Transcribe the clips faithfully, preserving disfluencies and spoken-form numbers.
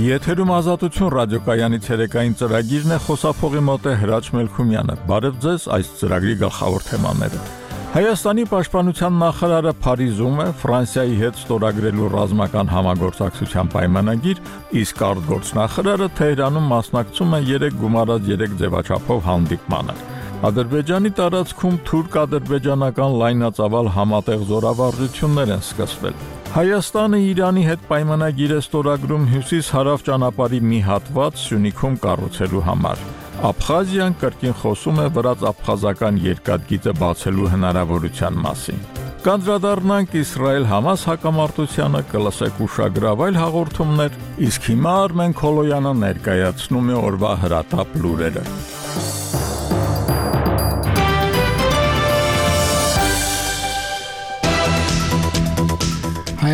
Եթերում ազատություն ռադիոկայանի ցերեկային ծրագիրն է, խոսափողի մոտ է Հրաչ Մելքումյանը։ Բարև ձեզ, այս ծրագրի գլխավոր թեմաները։ Հայաստանի պաշտպանության նախարարը Փարիզում է Ֆրանսիայի հետ ստորագրելու ռազմական համագործակցության պայմանագիր, իսկ արտգործնախարարը Թեհրանում մասնակցում է երեք գումարած երեք ձևաչափով հանդիպմանը։ Ադրբեջանի տարածքում թուրք-ադրբեջանական լայնածավալ համատեղ զորավարժություններ են սկսվել։ Հայաստանը Իրանի հետ պայմանագիր է ստորագրում հյուսիս-հարավ ճանապարհի մի հատված Սյունիքում կառուցելու համար։ Աբխազիան կրկին խոսում է վրաց-աբխազական երկաթգիծը բացելու հնարավորության մասին։ Կանդրադառնանք Իսրայել-Համաս հակամարտությանը, կլսեք ուշագրավ այլ հաղորդումներ, իսկ հիմա Արմեն Քոլոյանը ներկայացնում է օրվա հրատապ լուրերը։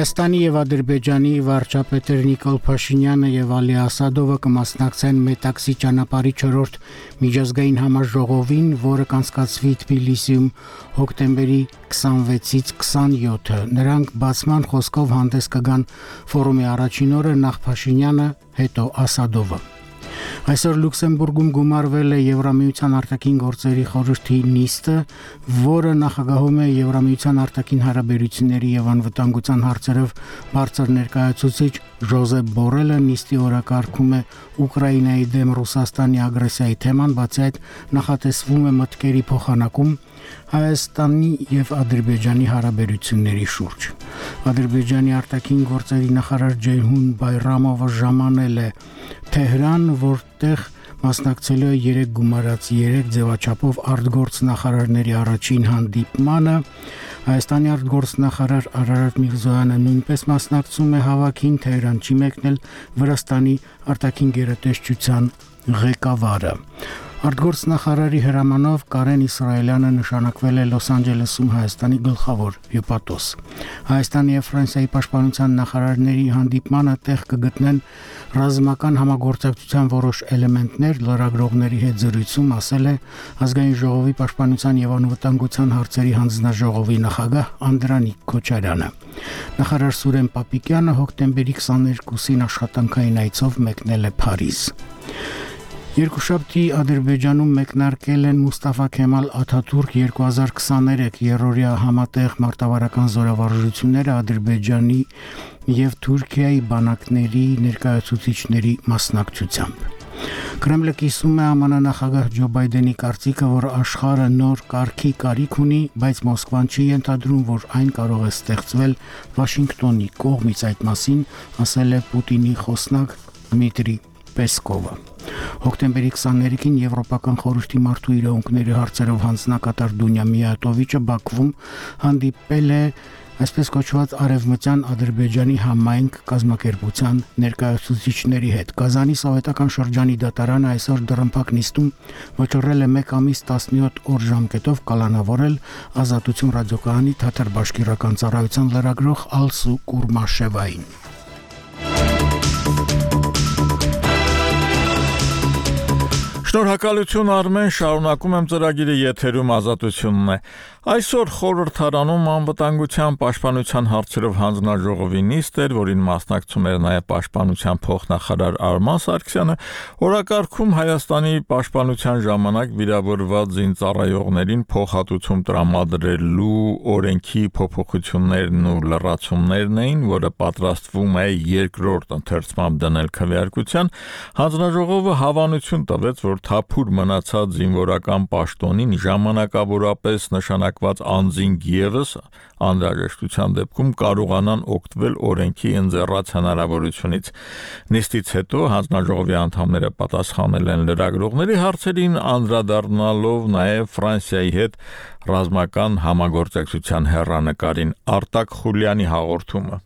Հայաստանի եւ Ադրբեջանի վարչապետեր Նիկոլ Փաշինյանը եւ Ալի Ասադովը կմասնակցեն Մետաքսի ճանապարհի չորրորդ միջազգային համաժողովին, որը կանցկացվի Թբիլիսիում հոկտեմբերի քսանվեցից քսանյոթը։ Նրանք բացման խոսքով հանդես կգան ֆորումի առաջին օրը, նախ Փաշինյանը, հետո Ասադովը։ Այսօր Լյուքսեմբուրգում գումարվել է Եվրամիության արտաքին գործերի խորհրդի նիստը, որը նախագահում է Եվրամիության արտաքին հարաբերությունների եւ անվտանգության հարցերով բարձր ներկայացուցիչ Ժոզեփ Բորելը։ Նիստի օրակարգում է Ուկրաինայի դեմ Ռուսաստանի ագրեսիայի թեման, բացի այդ նախատեսվում է մտքերի փոխանակում Հայաստանի եւ Ադրբեջանի հարաբերությունների շուրջ։ Ադրբեջանի արտաքին գործերի նախարար Ջեյհուն Բայրամովը ժամանել է Թեհրան, որտեղ մասնակցելու է երեք գումարած երեք ձևաչափով արտգործնախարարների առաջին հանդիպմանը։ Հայաստանի արտգործնախարար Արարատ Միրզոյանը նույնպես մասնակցում է հավաքին, Թեհրան չի մեկնել Վրաստանի արտաքին գերատեսչության ղեկավարը։ Արտգործնախարարի հրամանով Կարեն Իսրայելյանը նշանակվել է Լոս Անջելեսում Հայաստանի գլխավոր հյուպատոս։ Հայաստանի եւ Ֆրանսիայի պաշտպանության նախարարների հանդիպմանը տեղ կգտնեն ռազմական համագործակցության որոշ էլեմենտներ, լրագրողների հետ զրույցում ասել է Ազգային ժողովի պաշտպանության եւ անվտանգության հարցերի հանձնաժողովի նախագահ Անդրանիկ Քոչարյանը։ Նախարար Սուրեն Պապիկյանը հոկտեմբերի քսաներկուսին աշխատանքային այցով մեկնել է Փարիզ։ Երկուշաբթի Ադրբեջանում մեկնարկել են Մուստաֆա Քեմալ Աթաթուրք երկու հազար քսաներեք երրորդյա համատեղ մարտավարական զորավարժությունները Ադրբեջանի եւ Թուրքիայի բանակների ներկայացուցիչների մասնակցությամբ։ Կրեմլը կիսում է ԱՄՆ նախագահ Ջո Բայդենի կարծիքը, որ աշխարհը նոր կարգի կարիք ունի, բայց Մոսկվան չի ենթադրում, որ այն կարող է ստեղծվել Վաշինգտոնի կողմից, այդ մասին ասել է Պուտինի խոսնակ Դմիտրի Պեսկովը։ Հոկտեմբերի քսաներեքին Եվրոպական խորհրդի մարդու իրավունքների հարցերով հանձնակատար Դունյա Միատովիչը Բաքվում հանդիպել է այսպես կոչված Արևմտյան Ադրբեջանի համայնք կազմակերպության ներկայացուցիչների հետ։ Կազանի սովետական շրջանի դատարանը այսօր դռնփակ նիստում վճռել է մեկ ամիս տասնյոթ օր ժամկետով կալանավորել Ազատություն ռադիոկայանի թաթար բաշկիրական ծառայության լրագրող Ալսու Կուրմաշևային։ Շնորհակալություն Արմեն, շարունակում եմ ծրագիրը, եթերում ազատությունն է։ Այսօր խորհրդարանում անվտանգության պաշտպանության հարցերով հանձնաժողովի նիստ էր, որին մասնակցում էր նաև պաշտպանության փոխնախարար Արման Սարգսյանը, օրակարգում Հայաստանի պաշտպանության ժամանակ վիրավորված զինծառայողներին փոխհատուցում տրամադրելու օրենքի փոփոխություններն ու լրացումներն էին, որը պատրաստվում է երկրորդ ընթերցմամբ դնել քվեարկության։ Հանձնաժողովը հավանություն տվեց, որ թափուր մնացած զինվորական պաշտոնին ժամանակավորապես նշանակված անձին ևս անհրաժեշտության դեպքում կարողանան օգտվել օրենքի ընձեռած հնարավորությունից։ Նիստից հետո հանձնաժողովի անդամները պատասխանել են լրագրողների հարցերին, անդրադառնալով նաև Ֆրանսիայի հետ ռազմական համագործակցության հեռանկարին։ Արտակ Խուլյանի հաղորդումը։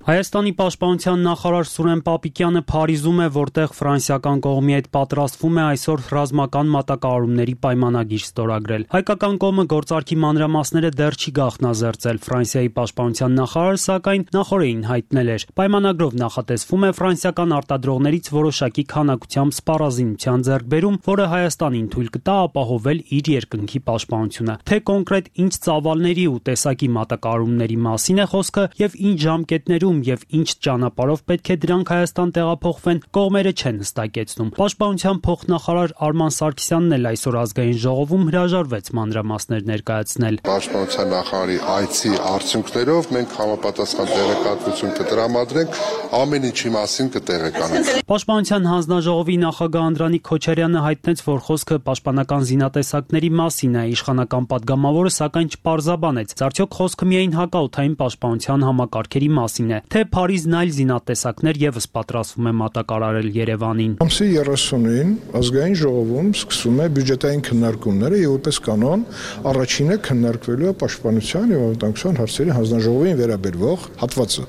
Հայաստանի պաշտպանության նախարար Սուրեն Պապիկյանը Փարիզում է, որտեղ ֆրանսիական կողմի հետ պատրաստվում է այսօր ռազմական մատակարարումների պայմանագիր ստորագրել։ Հայկական կողմը գործարքի մանրամասները դեռ չի գաղտնազերծել։ Ֆրանսիայի պաշտպանության նախարարը, սակայն, նախորդին հայտնել էր. պայմանագրով նախատեսվում է ֆրանսիական արտադրողներից որոշակի քանակությամբ սպառազինության ձեռքբերում, որը Հայաստանին թույլ կտա ապահովել իր երկնքի պաշտպանությունը։ Թե կոնկրետ ինչ ծավալների ու տեսակի մատակարարումների մասին է խոսքը եւ ինչ ժամկետներում որում եւ ինչ ճանապարհով պետք է դրանք Հայաստան տեղափոխվեն, կողմերը չեն հստակեցնում։ Պաշտպանության փոխնախարար Արման Սարգսյանն էլ այսօր ազգային ժողովում հրաժարվեց մանրամասներ ներկայացնել։ Պաշտպանության նախարարի այցի արդյունքներով մենք համապատասխան տեղեկատվություն կտրամադրենք, ամեն ինչի մասին կտեղեկանենք։ Պաշտպանության հանձնաժողովի նախագահ Անդրանիկ Քոչարյանը հայտնեց, որ խոսքը պաշտպանական զինատեսակների մասին է, իշխանական падգամավորը սակայն չպարզաբանեց։ Արդյոք խոսքը միայն հակաօդային պաշտպանության համակարգերի մասին է, թե Փարիզն այլ զինատեսակներ եւս պատրաստվում է մատակարարել Երևանին։ Ամսի երեսունին ազգային ժողովում սկսվում է բյուջետային քննարկումները եւ որպես կանոն առաջինը քննարկվելու է պաշտպանության եւ անվտանգության հարցերի հանձնաժողովին վերաբերող հատվածը։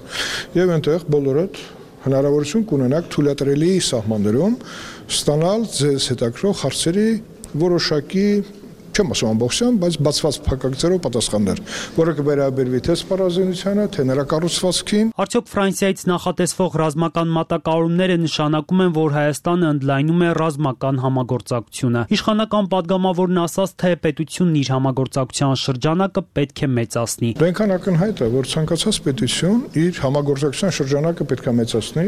Եվ այնտեղ բոլորդ հնարավորություն կունենաք թույլատրելի սահմաններում ստանալ ձեզ հետաքրքրող հարցերի որոշակի, չեմ ասում ամբողջությամբ, բայց բացված փակագծերով պատասխաններ, որը կվերաբերվի թե սպառազինությանը, թե նրա կառուցվածքին։ Արդյոք Ֆրանսիայից նախատեսվող ռազմական մատակարարումները նշանակում են, որ Հայաստանը ընդլայնում է ռազմական համագործակցությունը։ Իշխանական падգամավորն ասաց, թե պետությունն իր համագործակցության շրջանակը պետք է մեծացնի։ Այնքան ակնհայտ է, որ ցանկացած պետություն իր համագործակցության շրջանակը պետք է մեծացնի,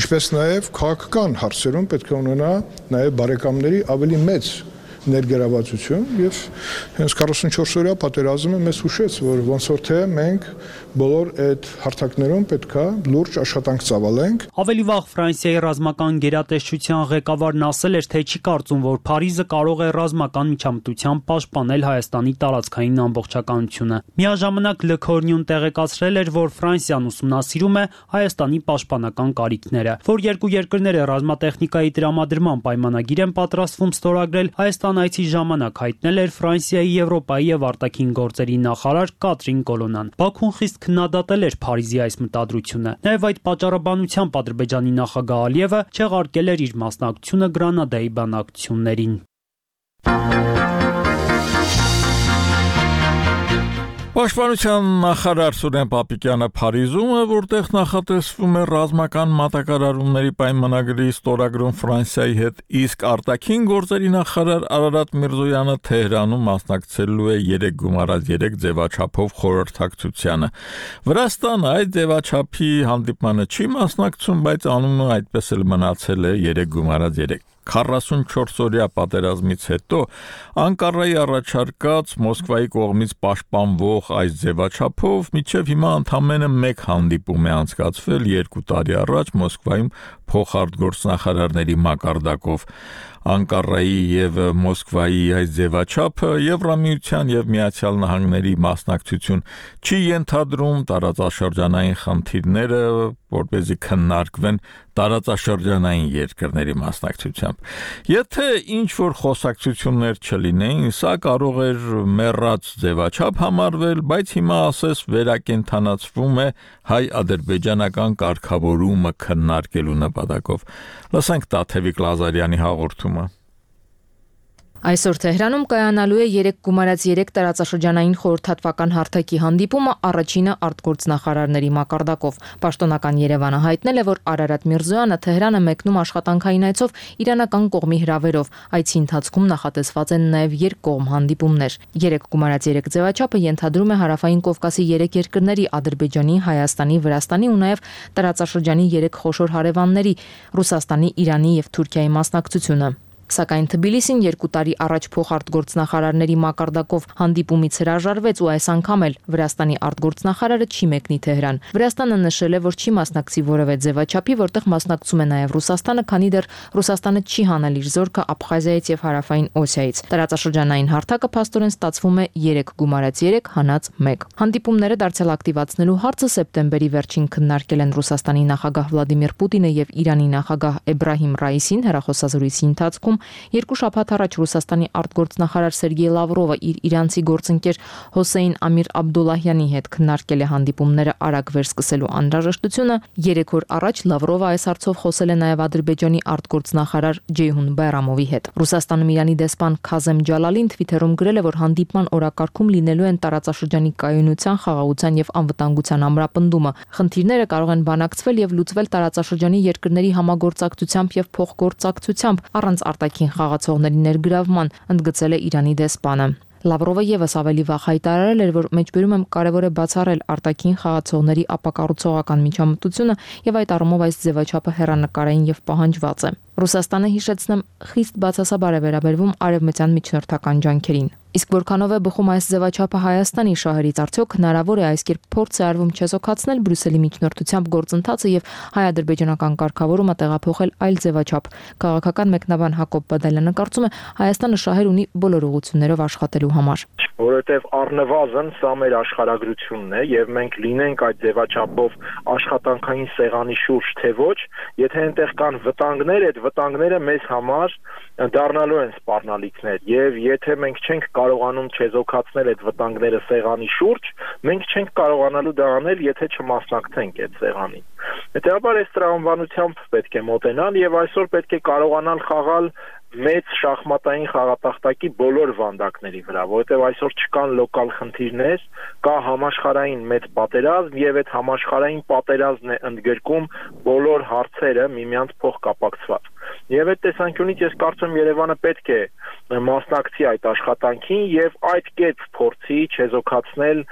ինչպես նաև քաղաքական հարցերում պետք է ունենա նաև բարեկամների ավելի մեծ ներգրավվածություն եւ հենց քառասունչորս-օրյա պատերազմը մեզ հուշեց, որ ոնց որ թե մենք բոլոր այդ հարթակներում պետքա լուրջ աշխատանք ծավալենք։ Ավելի վաղ Ֆրանսիայի ռազմական գերատեսչության ղեկավարն ասել էր, թե չի կարծում, որ Փարիզը կարող է ռազմական միջամտությամբ պաշտպանել Հայաստանի տարածքային ամբողջականությունը։ Միաժամանակ Լքորնյուն տեղեկացրել էր, որ Ֆրանսիան ուսումնասիրում է Հայաստանի պաշտպանական կարիքները, որ երկու երկրները ռազմատեխնիկայի տրամադրման պայմանագիր են պատրաստվում ստորագրել Հայաստան այցի ժամանակ հայտնել էր Ֆրանսիայի, Եվրոպայի եւ արտաքին գործերի նախարար Կատրին Կոլոնան։ Բաքուն խիստ քննադատել էր Փարիզի այս մտադրությունը։ Նաեւ այդ պատճառաբանությամբ Ադրբեջանի նախագահ Ալիևը չեղարկել էր իր մասնակցությունը Գրանադայի բանակցություններին։ Պաշտպանության նախարար Սուրեն Պապիկյանը Փարիզում է, որտեղ նախատեսվում է ռազմական մատակարարումների պայմանագրի ստորագրում Ֆրանսիայի հետ, իսկ արտաքին գործերի նախարար Արարատ Միրզոյանը Թեհրանում մասնակցելու է երեք գումարած երեք ձևաչափով խորհրդակցությանը։ Վրաստանը այդ ձևաչափի հանդիպմանը չի մասնակցում, բայց անունը այդպես էլ մնացել է երեք գումարած երեք։ քառասունչորս-օրյա պատերազմից հետո Անկարայի առաջարկած Մոսկվայի կողմից պաշտպանվող այս ձևաչափով մինչև հիմա ընդամենը մեկ հանդիպում է անցկացվել երկու տարի առաջ Մոսկվայում փոխարտգործնախարարների մակարդակով։ Անկարայի եւ Մոսկվայի այս ձևաչափը Եվրամիության եւ Միացյալ Նահանգների մասնակցություն չի ենթադրում տարածաշրջանային խնդիրները, որպեսզի քննարկվեն տարածաշրջանային երկրների մասնակցությամբ։ Եթե ինչ որ խոսակցություններ չլինեին, սա կարող էր մեռած ձևաչափ համարվել, բայց հիմա ասես վերակենդանացվում է հայ-ադրբեջանական կարգավորումը քննարկելու նպատակով։ Լսենք Տաթևիկ Լազարյանի հաղորդումը։ Այսօր Թեհրանում կայանալու է երեք գումարած երեք տարածաշրջանային խորհրդատվական հարթակի հանդիպումը առաջինը արտգործնախարարների մակարդակով։ Պաշտոնական Երևանը հայտնել է, որ Արարատ Միրզոյանը Թեհրանը մեկնում աշխատանքային այցով իրանական կողմի հրավերով։ Այցի ընթացքում նախատեսված են նաև երկկողմ հանդիպումներ։ Երեք գումարած երեք ձևաչափը ենթադրում է Հարավային Կովկասի երեք երկրների՝ Ադրբեջանի, Հայաստանի, Վրաստանի ու նաև տարածաշրջանի երեք խոշոր հարևանների՝ Ռուսաստանի, Իրանի եւ Թուրքիայի մասնակցությունը։ Սակայն Թբիլիսին երկու տարի առաջ փոխարտգործնախարարների մակարդակով հանդիպումից հրաժարվեց ու այս անգամ էլ Վրաստանի արտգործնախարարը չի մեկնի Թեհրան։ Վրաստանը նշել է, որ չի մասնակցի որևէ ձևաչափի, որտեղ մասնակցում է նաև Ռուսաստանը, քանի դեռ Ռուսաստանը չի հանել իր զորքը Աբխազիայից եւ Հարավային Օսիայից։ Տարածաշրջանային հարթակը փաստորեն ստացվում է երեք գումարած երեք հանած մեկ։ Հանդիպումները դարձյալ ակտիվացնելու հարցը սեպտեմբերի վերջին քննարկել են Ռուսաստանի նախագահ Վլադիմիր Պուտինը եւ Իրանի նախագահ Էբրահիմ Ռայիսին հեռախոսազրույցի ընթացքում։ Երկու շաբաթ առաջ Ռուսաստանի արտգործնախարար Սերգեյ Լավրովը իր իրանցի գործընկեր Հոսեյն Ամիր Աբդուլլահյանի հետ քննարկել է հանդիպումները արագ վերսկսելու անհրաժեշտությունը։ Երեք օր առաջ Լավրովը այս հարցով խոսել է նաև Ադրբեջանի արտգործնախարար Ջեյհուն Բայրամովի հետ։ Ռուսաստանում Իրանի դեսպան Քազեմ Ջալալին Թվիթերում գրել է, որ հանդիպման օրակարգում լինելու են տարածաշրջանի կայունության, խաղաղության եւ անվտանգության ամրապնդումը։ Խնդիրները կարող են բանակցվել եւ լուծվել տարածաշրջանի երկրների համագործակցությամբ եւ փոխգործակցությամբ առանց արտաքին խաղացողների ներգրավման, ընդգծել է Իրանի դեսպանը։ Լավրովը եւս ավելի վաղ հայտարարել էր, որ մեջբերում եմ կարևոր է բացառել արտաքին խաղացողների ապակառուցողական միջամտությունը եւ այդ առումով այս ձևաչափը հեռանկարային եւ պահանջված է։ Ռուսաստանը, հիշեցնեմ, խիստ բացասաբար է վերաբերվում արևմտյան միջնորդական ջանքերին։ Իսկ որքանով է բխում այս ձևաչափը Հայաստանի շահերից, արդյոք հնարավոր է այս կերպ փորձ է արվում չեզոքացնել Բրյուսելի միջնորդությամբ գործընթացը եւ հայ-ադրբեջանական կարգավորումը տեղափոխել այլ ձևաչափ։ Քաղաքական մեկնաբան Հակոբ Բադալյանը կարծում է, Հայաստանը շահեր ունի բոլոր ուղղություններով աշխատելու համար։ Որովհետև առնվազն սա մեր աշխարհագրությունն է եւ մենք լինենք այդ ձևաչափով աշխատանքային սեղանի շուրջ թե ոչ, եթե այնտեղ կան վտանգներ, այդ վտանգները մեզ համար դառնալու են սպառնալիքներ եւ եթե մենք չենք կարողանում չեզոքացնել այդ վտանգները սեղանի շուրջ, մենք չենք կարողանալու դա անել, եթե չմասնակցենք այդ սեղանին։ Հետեւաբար այս տրամաբանությամբ պետք է մոտենալ եւ այսօր պետք է կարողանալ խաղալ մեծ շախմատային խաղատախտակի բոլոր վանդակների վրա, որովհետև այսօր չկան լոկալ խնդիրներ, կա համաշխարհային մեծ պատերազմ եւ այդ համաշխարհային պատերազմն է ընդգրկում բոլոր հարցերը միմյանց փոխկապակցված։ Եվ այդ տեսանկյունից ես կարծում Երևանը պետք է մասնակցի այդ աշխատանքին եւ այդ կերպ փորձի չեզոքացնել,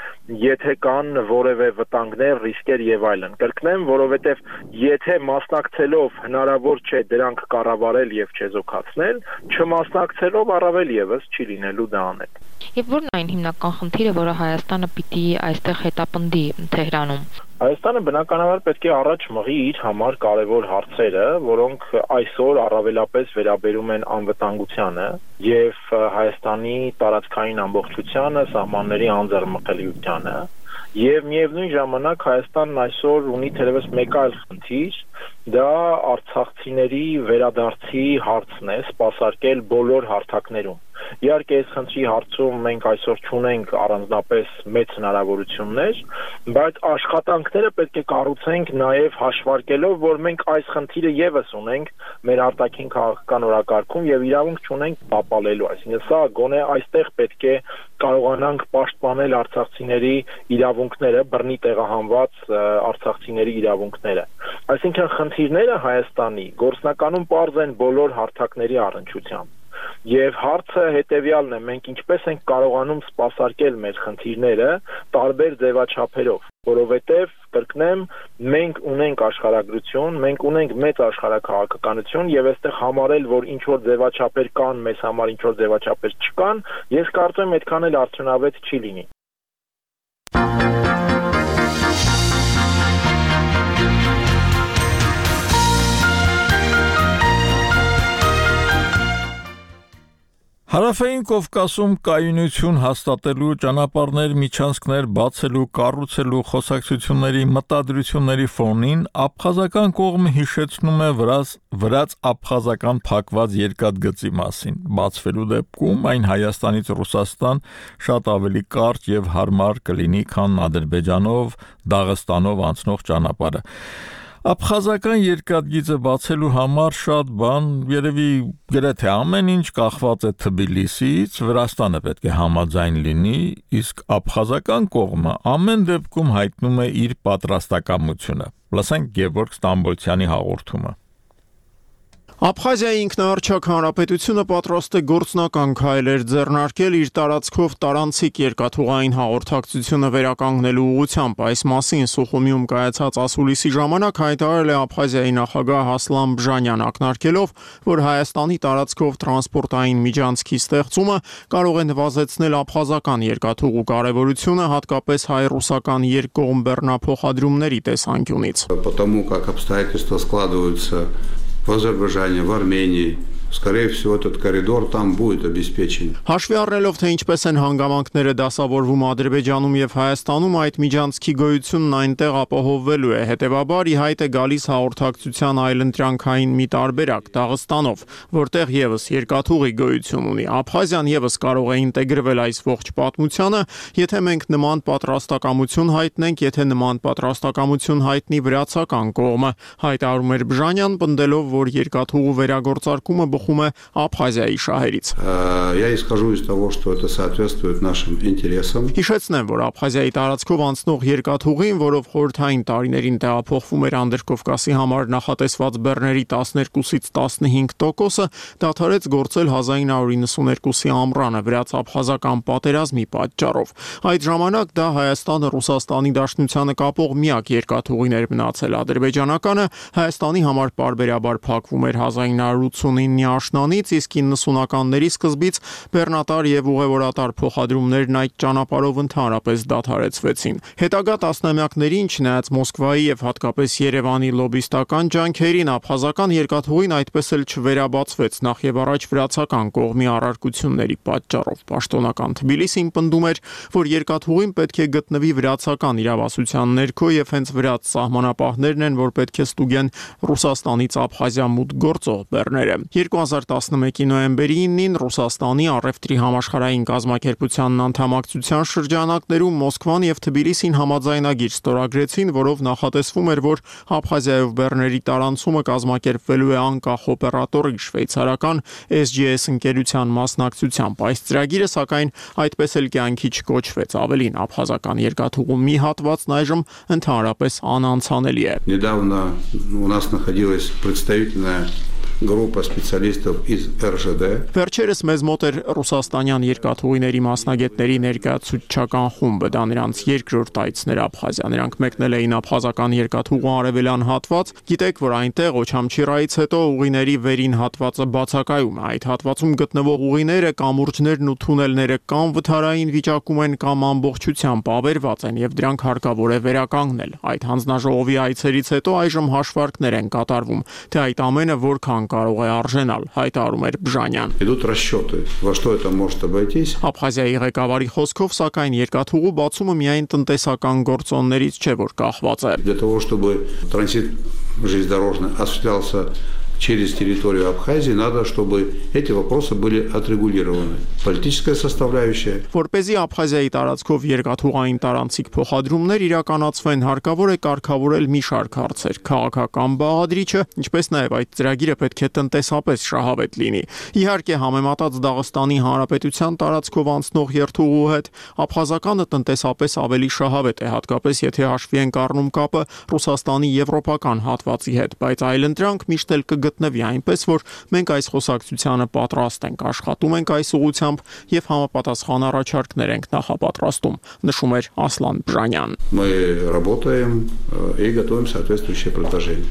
եթե կան որևէ վտանգներ, ռիսկեր եւ այլն։ Կրկնեմ, որովհետեւ եթե մասնակցելով հնարավոր չէ դրանք կառավարել եւ չեզոքացնել, չմասնակցելով առավել եւս չի լինելու դա անել։ Եվ ո՞րն այն հիմնական խնդիրը, որը Հայաստանը պիտի այստեղ հետապնդի Թեհրանում։ Հայաստանը բնականաբար պետք է առաջ մղի իր համար կարևոր հարցերը, որոնք այսօր առավելապես վերաբերում են անվտանգությանը եւ Հայաստանի տարածքային ամբողջությանը, սահմանների անձեռնմխելիությանը։ Եվ միևնույն ժամանակ Հայաստանն այսօր ունի թերևս մեկ այլ խնդիր, դա արցախցիների վերադարձի հարցն է, սպասարկել բոլոր հարթակներում։ Իհարկե այս խնդրի հարցում մենք այսօր չունենք առանձնապես մեծ հնարավորություններ, բայց աշխատանքները պետք է կառուցենք նաև հաշվարկելով, որ մենք այս խնդիրը եւս ունենք մեր արտաքին քաղաքական օրակարգում եւ իրավունք չունենք տապալելու, այսինքն սա գոնե այստեղ պետք է կարողանանք պաշտպանել արցախցիների իրավունքները, բռնի տեղահանված արցախցիների իրավունքները։ Այսինքն խնդիրները Հայաստանի գործնականում պարզ են բոլոր հարթակների առնչությամբ։ Եվ հարցը հետեւյալն է, մենք ինչպես ենք կարողանում սպասարկել մեր խնդիրները տարբեր ձևաչափերով, որովհետև կրկնեմ, մենք ունենք աշխարհագրություն, մենք ունենք մեծ աշխարհաքաղաքականություն եւ այստեղ համարել, որ ինչ որ ձևաչափեր կան, մեզ համար ինչ որ ձևաչափեր չկան, ես կարծում եմ այդքան էլ արդյունավետ չի լինի։ Հարավային Կովկասում կայունություն հաստատելու ճանապարհներ, միջանցքներ բացելու, կառուցելու խոսակցությունների մտադրությունների ֆոնին աբխազական կողմը հիշեցնում է վրաց, վրաց աբխազական փակված երկաթգծի մասին։ Բացվելու դեպքում այն Հայաստանից Ռուսաստան շատ ավելի կարճ եւ հարմար կլինի, քան Ադրբեջանով, Դաղստանով անցնող ճանապարհը։ Աբխազական երկաթգիծը բացելու համար շատ բան, երևի գրեթե ամեն ինչ կախված է Թբիլիսիից, Վրաստանը պետք է համաձայն լինի, իսկ աբխազական կողմը ամեն դեպքում հայտնում է իր պատրաստակամությունը։ Լսենք Գևորգ Ստամբոլցյանի հաղորդումը։ Աբխազիայի ինքնաառաջակ հանրապետությունը պատրաստ է գործնական քայլեր ձեռնարկել իր տարածքով տարանցիկ երկաթուղային հաղորդակցությունը վերականգնելու ուղղությամբ։ Այս մասին Սուխումիում կայացած ասուլիսի ժամանակ հայտարարել է Աբխազիայի նախագահ Հասլան Բժանյան, ակնարկելով, որ Հայաստանի տարածքով տրանսպորտային միջանցքի ստեղծումը կարող է նվազեցնել աբխազական երկաթուղու կարևորությունը, հատկապես հայ-ռուսական երկկողմ բեռնափոխադրումների տեսանկյունից։ Потому как обстоятельства складываются в Азербайджане, в Армении, скорее всего, этот коридор там будет обеспечен. Հաշվի առնելով, թե ինչպես են հանգամանքները դասավորվում Ադրբեջանում եւ Հայաստանում, այդ միջանցքի գոյությունն այնտեղ ապահովվելու է։ Հետևաբար, ի հայտ է գալիս հաղորդակցության այլընտրանքային մի տարբերակ Դաղստանով, որտեղ եւս երկաթուղի գոյություն ունի։ Աբխազիան եւս կարող է ինտեգրվել այս ողջ պատմությանը, եթե մենք նման պատրաստակամություն հայտնենք, եթե նման պատրաստակամություն հայտնի վրացական կողմը, հայտարարում էր Բժանյան, պնդելով, որ երկաթուղու վերագործարկումը սուխում է Աբխազիայի շահերից։ Я исхожу из того, что это соответствует нашим интересам. Հիշեցնեմ, որ Աբխազիայի տարածքով անցնող երկաթուղին, որով խորհրդային տարիներին տեղափոխվում էր Անդրկովկասի համար նախատեսված բեռների տասներկուսից տասնհինգ տոկոսը, դադարեց գործել հազար ինը հարյուր նվաթյոթի ամռանը վրաց-աբխազական պատերազմի պատճառով։ Այդ ժամանակ դա Հայաստանը Ռուսաստանի Դաշնությանը կապող միակ երկաթուղին էր մնացել։ Ադրբեջանականը Հայաստանի համար պարբերաբար փակվում էր հազար ինը հարյուր ութսունինի աշնանից, իսկ իննսունականների սկզբից բեռնատար եւ ուղևորատար փոխադրումներն այդ ճանապարհով ընդհանրապես դադարեցվեցին։ Հետագա տասնամյակներին, չնայած Մոսկվայի եւ հատկապես Երևանի լոբիստական ջանքերին, աբխազական երկաթուղին այդպես էլ չվերաբացվեց, նախ եւ առաջ վրացական կողմի առարկությունների պատճառով։ Պաշտոնական Թբիլիսին պնդում էր, որ երկաթուղին պետք է գտնվի վրացական իրավասության ներքո եւ հենց վրաց սահմանապահներն են, որ պետք է ստուգեն Ռուսաստանից Աբխազիա մուտք գործող բեռները։ երկու հազար տասնմեկի նոյեմբերի իննին Ռուսաստանի առևտրի համաշխարհային կազմակերպությանն անդամակցության շրջանակներում Մոսկվան եւ Թբիլիսին համաձայնագիր ստորագրեցին, որով նախատեսվում էր, որ Աբխազիայով բեռների տարանցումը կազմակերպվելու է անկախ օպերատորի շվեյցարական S G S ընկերության մասնակցությամբ։ Այս ծրագիրը, սակայն, այդպես էլ կյանքի չկոչվեց։ Ավելին, աբխազական երկաթուղու մի հատվածն այժմ ընդհանրապես անանցանելի է։ Недавно у нас находилась представительная группа специалистов из R Ž D. Վերջերս մեզ մոտ էր ռուսաստանյան երկաթուղիների մասնագետների ներկայացուցչական խումբը, դա նրանց երկրորդ այցն էր Աբխազիա։ Նրանք մեկնել էին աբխազական երկաթուղու արևելյան հատված։ Գիտեք, որ այնտեղ Օչամչիրայից հետո ուղիների վերին հատվածը բացակայում է։ Այդ հատվածում գտնվող ուղիները, կամուրջներն ու թունելները կամ վթարային վիճակում են, կամ ամբողջությամբ ավերված են, եւ դրանք հարկավոր է վերականգնել։ Այդ հանձնաժողովի այցերից հետո այժմ հաշվարկներ են կատարվում, թե այդ ամենը որքան կարող է արժենալ, հայտարարում էր Բժանյան։ Идут расчеты, во что это может обойтись. Աբխազիայի ղեկավարի խոսքով, սակայն երկաթուղու բացումը միայն տնտեսական գործոններից չէ, որ կախված է։ Для того, чтобы транзит железнодорожный осуществлялся через территорию Абхазии, надо, чтобы эти вопросы были отрегулированы. Политическая составляющая. Որպեսզի Աբխազիայի տարածքով երկաթուղային տարանցիկ փոխադրումներ իրականացվեն, հարկավոր է կարգավորել մի շարք հարցեր։ Քաղաքական բաղադրիչը, ինչպես նաև այդ ծրագիրը պետք է տնտեսապես շահավետ լինի։ Իհարկե, համեմատած Դաղստանի Հանրապետության տարածքով անցնող երթուղու հետ, աբխազականը տնտեսապես ավելի շահավետ է, հատկապես եթե հաշվի ենք առնում կապը Ռուսաստանի եվրոպական հատվածի հետ, բայց այլընտրանք միշտ էլ կգտնվի, այնպես որ մենք այս խոսակցությանը պատրաստ ենք, աշխատում ենք այս ուղղությամբ եւ համապատասխան առաջարկներ ենք նախապատրաստում, նշում էր Ասլան Բժանյան։ Мы работаем и готовим соответствующие предложения.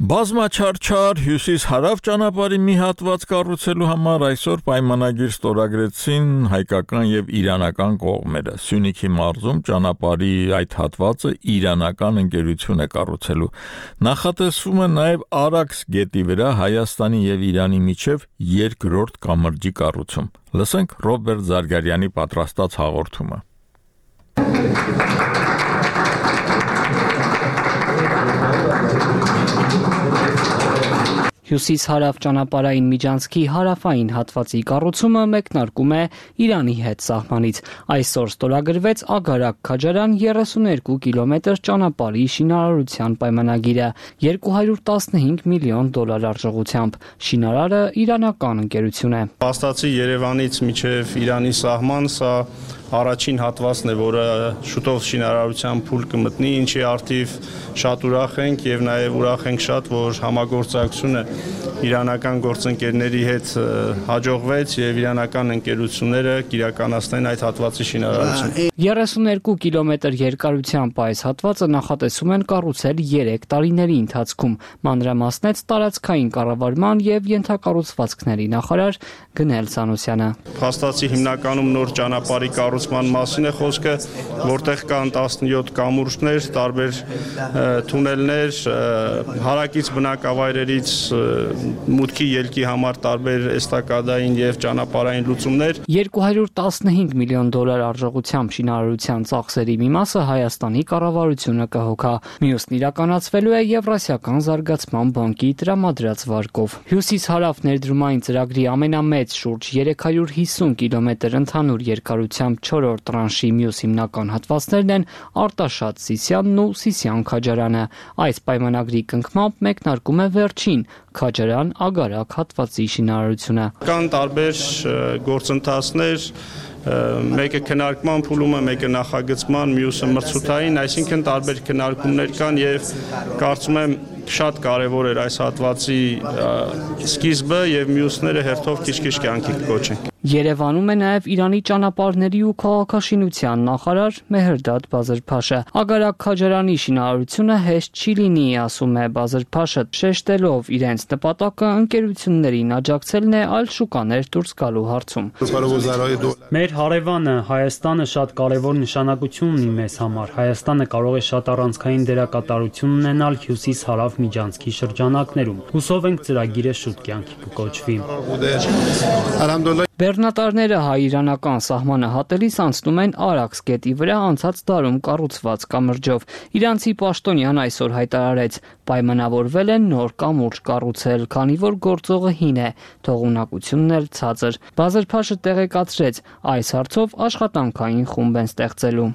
Բազմաչարչար հյուսիս-հարավ ճանապարհի մի հատված կառուցելու համար այսօր պայմանագիր ստորագրեցին հայկական եւ իրանական կողմերը։ Սյունիքի մարզում ճանապարհի այդ հատվածը իրանական ընկերություն է կառուցելու։ Նախատեսվում է նաեւ Արաքս գետի վրա Հայաստանի եւ Իրանի միջև երկրորդ կամրջի կառուցում։ Լսենք Ռոբերտ Զարգարյանի պատրաստած հաղորդումը։ Հյուսիս-հարավ ճանապարհային միջանցքի հարավային հատվածի կառուցումը մեկնարկում է Իրանի հետ սահմանից։ Այսօր ստորագրվեց Ագարակ-Քաջարան երեսուներկու կիլոմետր ճանապարհի շինարարության պայմանագիրը երկու հարյուր տասնհինգ միլիոն դոլար արժողությամբ։ Շինարարը իրանական ընկերություն է։ Փաստացի Երևանից մինչև Իրանի սահման սա առաջին հատվածն է, որը շուտով շինարարության փուլ կմտնի, ինչի արդիվ շատ ուրախ ենք եւ նաեւ ուրախ ենք շատ, որ համագործակցությունը իրանական գործընկերների հետ հաջողվեց եւ իրանական ընկերությունները կիրականացնեն այդ հատվածի շինարարությունը։ երեսուներկու կիլոմետր երկարությամբ այս հատվածը նախատեսում են կառուցել երեք տարիների ընթացքում, մանրամասնեց տարածքային կառավարման եւ ենթակառուցվածքների նախարար Գնել Սանոսյանը։ Փաստացի հիմնականում նոր ճանապարհի կառուցման մասին է խոսքը, որտեղ կան տասնյոթ կամուրջներ, տարբեր թունելներ, հարակից բնակավայրերից մուտքի ելքի համար տարբեր էստակադային եւ ճանապարհային լուծումներ։ երկու հարյուր տասնհինգ միլիոն դոլար արժողությամբ շինարարության ծախսերի մի մասը Հայաստանի կառավարությունը կհոգա, մյուսն իրականացվելու է Եվրասիական զարգացման բանկի տրամադրած վարկով։ Հյուսիս-հարավ ներդրումային ծրագրի ամենամեծ շուրջ երեք հարյուր հիսուն կիլոմետր ընդհանուր երկարությամբ չորրորդ տրանշի մյուս հիմնական հատվածներն են Արտաշատ Սիսյանն ու Սիսյան Քաջարյանը։ Այս պայմանագրի կնքմամբ մեկնարկում է վերջին Քաջարյան Ագարակ հատվածի շինարարությունը։ Կան տարբեր գործընթացներ, մեկը քննարկման փուլում է, մեկը նախագծման, մյուսը մրցութային, այսինքն տարբեր քննարկումներ կան եւ կարծում եմ շատ կարևոր էր այս հատվածի սկիզբը եւ մյուսները հերթով քիչ-քիչ կյանքի կոչենք։ Երևանում է նաև Իրանի ճանապարհների ու քաղաքաշինության նախարար Մեհրդադ Բազրփաշը։ Ագարակ Քաջարյանի շինարարությունը հեշտ չի լինի, ասում է Բազրփաշը, շեշտելով իրենց նպատակը ընկերություններին աջակցելն է այլ շուկաներ դուրս գալու հարցում։ Մեր հարևանը Հայաստանը շատ կարևոր նշանակություն ունի մեզ համար։ Հայաստանը կարող է շատ առանցքային դերակատարություն ունենալ հյուսիս-հարավ միջանցքի շրջանակներում։ Հուսով ենք ծրագիրը շուտ կյանքի կկոչվի։ Բեռնատարները հայ-իրանական սահմանը հատելիս անցնում են Արաքս գետի վրա անցած դարում կառուցված կամրջով։ Իրանցի պաշտոնյան այսօր հայտարարեց, պայմանավորվել են նոր կամուրջ կառուցել, քանի որ գործողը հին է, թողունակությունն էլ ցածր։ Բազրփաշը տեղեկացրեց, այս հարցով աշխատանքային խումբ են ստեղծելու։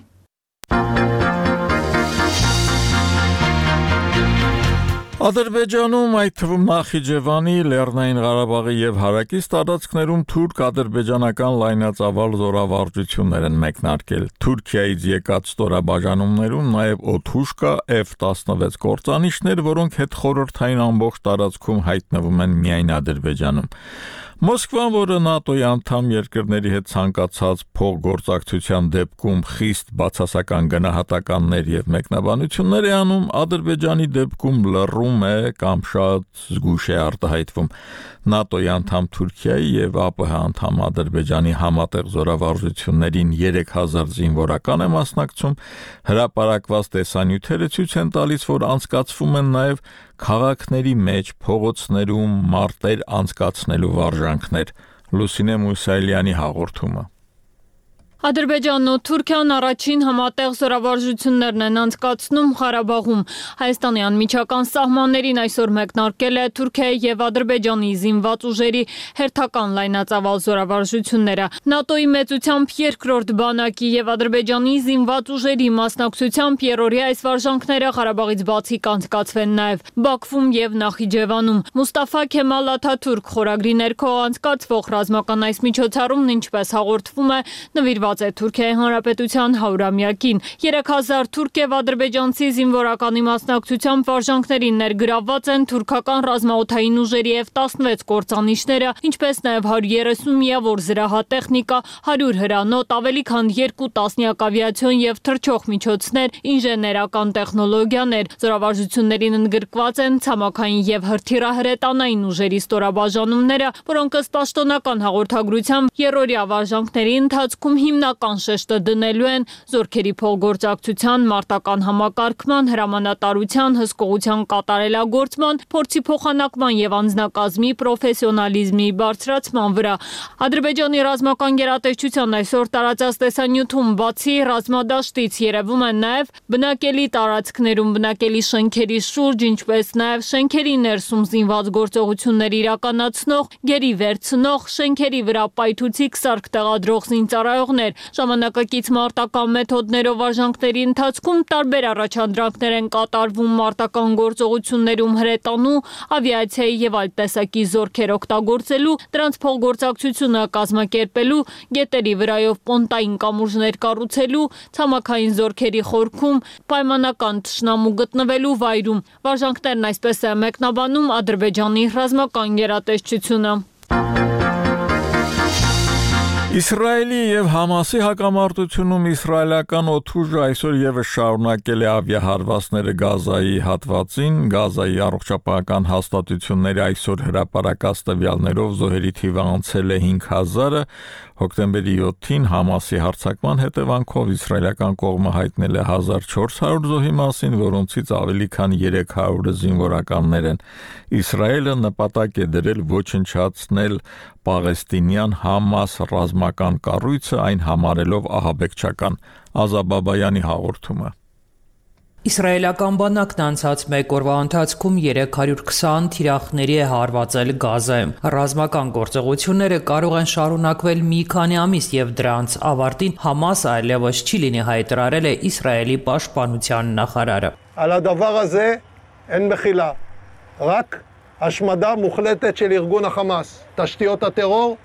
Ադրբեջանում, այդ թվում Նախիջևանի, Լեռնային Ղարաբաղի եւ հարակից տարածքներում թուրք-ադրբեջանական լայնածավալ զորավարժություններ են մեկնարկել։ Թուրքիայից եկած ստորաբաժանումներում նաեւ օդուժ կա F տասնվեց կործանիչներ, որոնք հետխորհրդային ամբողջ տարածքում հայտնվում են միայն Ադրբեջանում։ Մոսկվան, որը ՆԱՏՕ-ի անդամ երկրների հետ ցանկացած փոխգործակցության դեպքում խիստ բացասական գնահատականներ եւ մեկնաբանություններ է անում, Ադրբեջանի դեպքում լռում է կամ շատ զգուշ է արտահայտվում։ ՆԱՏՕ-ի անդամ Թուրքիայի եւ ԱՊՀ անդամ Ադրբեջանի համատեղ զորավարժություններին երեք հազար զինվորական է մասնակցում, հրապարակված տեսանյութերը ցույց են տալիս, որ անցկացվում են նաեւ քաղաքների մեջ փողոցներում մարտեր անցկացնելու վարժանքներ։ Լուսինե Մուսայելյանի հաղորդումը։ Ադրբեջանն ու Թուրքիան առաջին համատեղ զորավարժություններն են անցկացնում Ղարաբաղում։ Հայաստանի անմիջական սահմաններին այսօր մեկնարկել է Թուրքիայի եւ Ադրբեջանի զինված ուժերի հերթական լայնածավալ զորավարժությունները։ ՆԱՏՕ-ի մեծությամբ երկրորդ բանակի եւ Ադրբեջանի զինված ուժերի մասնակցությամբ երրորդի այս վարժանքները Ղարաբաղից բացի կանցկացվեն նաեւ Բաքվում եւ Նախիջևանում։ Մուստաֆա Քեմալ Աթաթուրք խորագրի ներքո անցկացվող ռազմական այս միջոցառումն, ինչպես հաղորդվում է, նվիրված է Թուրքիայի Հանրապետության հարյուրամյակին։ երեք հազար թուրք եւ ադրբեջանցի զինվորականի մասնակցությամբ վարժանքներին ներգրավված են թուրքական ռազմաօդային ուժերի F տասնվեց կործանիչները, ինչպես նաեւ հարյուր երեսուն միավոր զրահատեխնիկա, հարյուր հրանոթ, ավելի քան երկու տասնյակ ավիացիոն եւ թռչող միջոցներ, ինժեներական տեխնոլոգիաներ։ Զորավարժություններին ընդգրկված են ցամաքային եւ հրթիռահրետանային ուժերի ստորաբաժանումները, որոնք ըստ պաշտոնական հաղորդագրության երրորդյա վարժանքների ընթացքում հիմնական շեշտը դնելու են զորքերի փոխգործակցության, մարտական համակարգման, հրամանատարության, հսկողության կատարելագործման, փորձի փոխանակման եւ անձնակազմի պրոֆեսիոնալիզմի բարձրացման վրա։ Ադրբեջանի ռազմական գերատեսչության այսօր տարածած տեսանյութում բացի ռազմադաշտից երևում են նաեւ բնակելի տարածքներում բնակելի շենքերի շուրջ, ինչպես նաեւ շենքերի ներսում զինված գործողություններ իրականացնող, գերի վերցնող, շենքերի վրա պայթուցիկ սարք տեղադրող զինծառայողներ։ Ժամանակակից մարտական մեթոդներով վարժանքների ընթացքում տարբեր առաջադրանքներ են կատարվում մարտական գործողություններում հրետանու, ավիացիայի եւ այլ տեսակի զորքեր օգտագործելու, դրանց փոխգործակցությունը կազմակերպելու, գետերի վրայով պոնտային կամուրջներ կառուցելու, ցամաքային զորքերի խորքում, պայմանական թշնամու գտնվելու վայրում։ Վարժանքներն այսպես է մեկնաբանում Ադրբեջանի ռազմական գերատեսչությունը։ Իսրայելի եւ Համասի հակամարտությունում իսրայելական օդուժը այսօր եւս շարունակել է ավիահարվածները Գազայի հատվածին։ Գազայի առողջապահական հաստատությունների այսօր հրապարակած տվյալներով զոհերի թիվը անցել է հինգ հազարը։ Հոկտեմբերի յոթին Համասի հարձակման հետևանքով իսրայելական կողմը հայտնել է հազար չորս հարյուր զոհի մասին, որոնցից ավելի քան երեք հարյուրը զինվորականներ են։ Իսրայելը նպատակ է դրել ոչնչացնել պաղեստինյան Համաս ռազմական կառույցը, այն համարելով ահաբեկչական։ Ազաբաբայանի հաղորդումը։ Իսրայելական բանակն անցած մեկ օրվա ընթացքում երեք հարյուր քսան թիրախների է հարվածել Գազայում։ Ռազմական գործողությունները կարող են շարունակվել մի քանի ամիս եւ դրանց ավարտին Համասը այլևս չի լինի, հայտարարել է Իսրայելի պաշտպանության նախարարը։ על הדבר הזה אין מחילה, רק השמדה מוחלטת של ארגון החמאס. תשתיות הטרור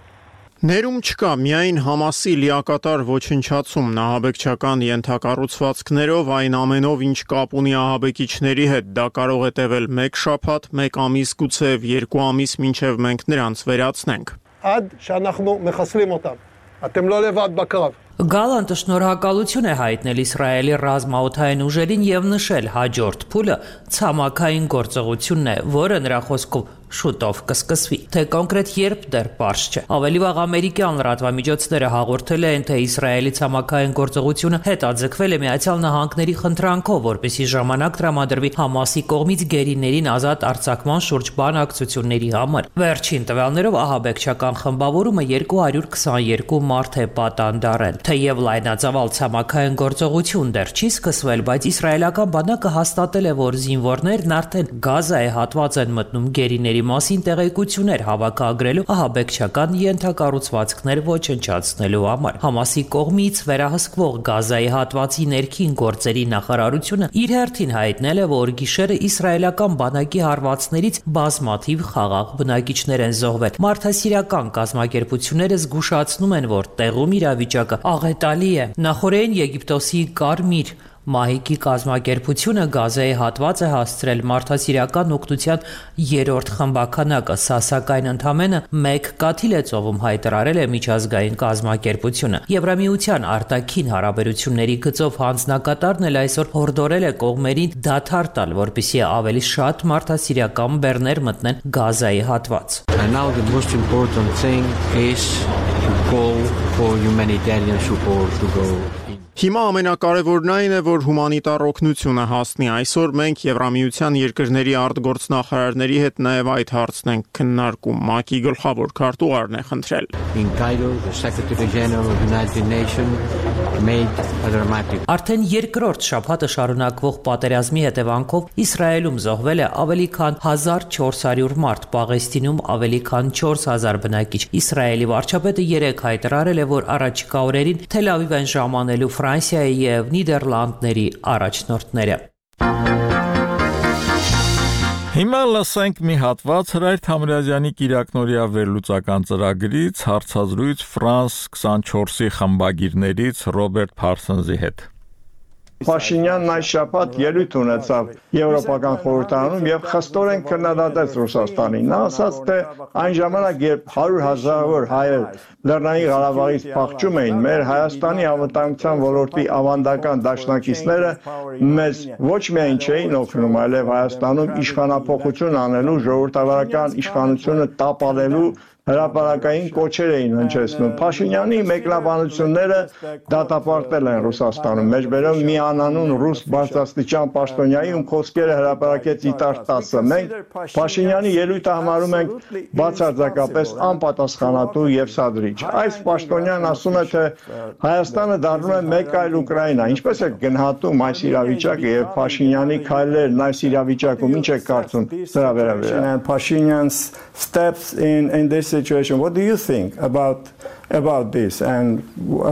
Ներում չկա միայն Համասի լիակատար ոչնչացում նահաբեկչական ենթակառուցվածքներով, այն ամենով, ինչ կապ ունի ահաբեկիչների հետ, դա կարող է տևել մեկ շաբաթ, մեկ ամիս, գուցեև երկու ամիս, մինչև մենք նրանց վերացնենք։ עד שאנחנו מחסלים אותם. אתם לא לבד בקרב. Գալանտը շնորհակալություն է հայտնել Իսրայելի ռազմաօդային ուժերին եւ նշել հաջորդ փուլը ցամաքային գործողությունն է, որը նրա խոսքով շուտով կսկսվի։ Թե կոնկրետ երբ դեռ պարզ չէ։ Ավելի վաղ ամերիկյան լրատվամիջոցները հաղորդել են, թե Իսրայելի ցամաքային գործողությունը հետաձգվել է Միացյալ Նահանգների խնդրանքով, որպեսզի ժամանակ տրամադրվի Համասի կողմից գերիներին ազատ արձակման շուրջ բանակցությունների համար։ Վերջին տվյալներով ահաբեկչական խմբավորումը երկու հարյուր քսաներկու մարդ է պատանդարել։ Թեև լայնածավալ ցամաքային գործողություն դեռ չի սկսվել, բայց իսրայելական բանակը հաստատել է, որ զինվորներն արդեն Գազայի հատված են մտնում գերիների մասին տեղեկություններ հավաքագրելու ահաբեկչական ենթակառուցվածքներ ոչնչացնելու համար։ Համասի կողմից վերահսկվող Գազայի հատվածի ներքին գործերի նախարարությունը իր հերթին հայտնել է, որ գիշերը իսրայելական բանակի հարվածներից բազմաթիվ խաղաղ բնակիչներ են զոհվել։ Մարդասիրական կազմակերպությունները զգուշացնում են, որ տեղում իրավիճակը աղետալի է։ Նախորդին Եգիպտոսի Կարմիր Մահիկի կազմակերպությունը Գազայի հատված է հասցրել մարդասիրական օգնության երրորդ խմբականակը, սա սակայն ընդամենը մեկ կաթիլ է ծովում, հայտարարել է միջազգային կազմակերպությունը։ Եվրամիության արտաքին հարաբերությունների գծով հանձնակատարն էլ այսօր հորդորել է կողմերին դադար տալ, որպեսզի ավելի շատ մարդասիրական բեռներ մտնեն Գազայի հատված։ And now the most important thing is to call for humanitarian support to go. Հիմա ամենակարևորն այն է, որ հումանիտար օգնությունը հասնի։ Այսօր մենք Եվրամիության երկրների արտգործնախարարների հետ նաև այդ հարցն ենք քննարկում։ ՄԱԿ-ի գլխավոր քարտուղարն է խնդրել։ In Cairo, the Secretary General of the United Nations made a dramatic. Արդեն երկրորդ շաբաթը շարունակվող պատերազմի հետևանքով Իսրայելում զոհվել է ավելի քան հազար չորս հարյուր մարդ, Պաղեստինում ավելի քան չորս հազար բնակիչ։ Իսրայելի վարչապետը երեկ հայտարարել է, որ առաջիկա օրերին Թել Ավիվ են ժամանելու Ֆրանսիայի եւ Նիդերլանդների առաջնորդները։ Հիմա լսենք մի հատված Հրայր Թամրազյանի Կիրակնորիա վերլուծական ծրագրից, հարցազրույց Ֆրանս քսանչորսի խմբագիրներից Ռոբերտ Փարսոնզի հետ։ Փաշինյանն այս շաբաթ ելույթ ունեցավ Եվրոպական խորհրդարանում եւ խստորեն քննադատեց Ռուսաստանին։ Նա ասաց, թե այն ժամանակ, երբ հարյուր հազարավոր հայեր Լեռնային Ղարաբաղից փախչում էին, մեր Հայաստանի անվտանգության ոլորտի ավանդական դաշնակիցները մեզ ոչ միայն չէին օգնում, այլև Հայաստանում իշխանափոխություն անելու, ժողովրդավարական իշխանությունը տապալելու հրապարակային կոչեր էին հնչեցնում։ Փաշինյանի մեկնաբանությունները դատապարտել են Ռուսաստանում։ Մեջբերում մի անանուն ռուս բարձրաստիճան պաշտոնյայի, ում խոսքերը հրապարակեց Իտար տասը։ Մենք Փաշինյանի ելույթը համարում ենք բացարձակապես անպատասխանատու եւ սադրիչ։ Այս պաշտոնյան ասում է, թե Հայաստանը դառնում է մեկ այլ Ուկրաինա։ Ինչպես է գնահատում այս իրավիճակը եւ Փաշինյանի քայլերն այս իրավիճակում, ինչ է կարծում դրա վերաբերյալ։ Pashinyan's steps in in this situation. What do you think about about this and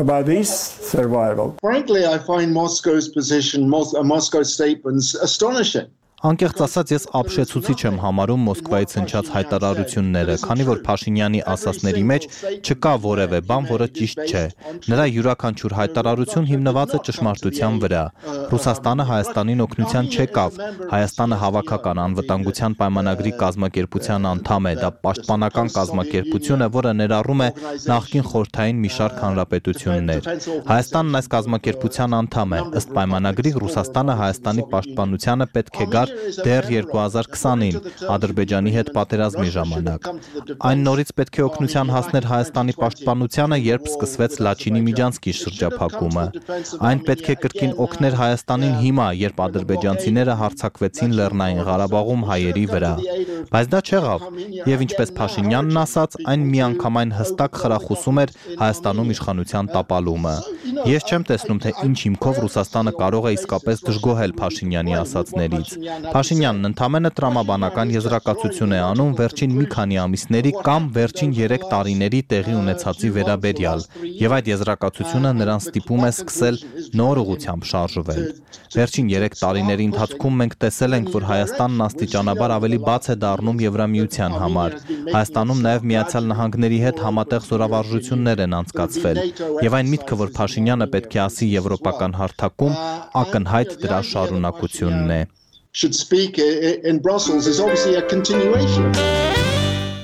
about his survival? Frankly, I find Moscow's position, Mos- uh, Moscow's statements astonishing. Անկեղծ ասած, ես ապշեցուցիչ եմ համարում Մոսկվայից հնչած հայտարարությունները, քանի որ Փաշինյանի ասածների մեջ չկա որևէ բան, որը ճիշտ չէ։ Նրա յուրաքանչյուր հայտարարություն հիմնված է ճշմարտության վրա։ Ռուսաստանը Հայաստանին օգնության չեկավ։ Հայաստանը հավաքական անվտանգության պայմանագրի կազմակերպության անդամ է, դա պաշտպանական կազմակերպություն է, որը ներառում է նախկին խորհրդային մի շարք հանրապետություններ։ Հայաստանն այս կազմակերպության անդամ է։ Ըստ պայմանագրի Ռուսաստանը Հայաստանի պաշտպանությանը պետք է գար դեռ երկու հազար քսանին Ադրբեջանի հետ պատերազմի ժամանակ։ Այն նորից պետք է օգնության հասներ Հայաստանի պաշտպանությանը, երբ սկսվեց Լաչինի Միջանցքի շրջափակումը։ Այն պետք է կրկին օգներ Հայաստանին հիմա, երբ ադրբեջանցիները հարձակվեցին Լեռնային Ղարաբաղում հայերի վրա։ Բայց դա չեղավ, եւ ինչպես Փաշինյանն ասաց, այն միանգամայն հստակ խրախուսում էր Հայաստանում իշխանության տապալումը։ Ես չեմ տեսնում, թե ինչ հիմքով Ռուսաստանը կարող է իսկապես դժգոհել Փաշինյանի ասածներից։ Փաշինյանն ընդամենը տրամաբանական եզրակացություն է անում վերջին մի քանի ամիսների կամ վերջին երեք տարիների տեղի ունեցածի վերաբերյալ, եւ այդ եզրակացությունը նրան ստիպում է սկսել նոր ուղղությամբ շարժվել։ Վերջին երեք տարիների ընթացքում մենք տեսել ենք, որ Հայաստանն աստիճանաբար ավելի բաց է դառնում Եվրամիության համար։ Հայաստանում նաև Միացյալ Նահանգների հետ համատեղ զորավարժություններ են անցկացվել, եւ այն միտքը, որ Փաշինյանը պետք է ասի եվրոպական հարթակում, ակնհայտ դրա շարունակությունն է։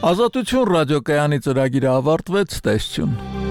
Ազատություն ռադիոկայանի ծրագիրը ավարտվեց, տեսություն։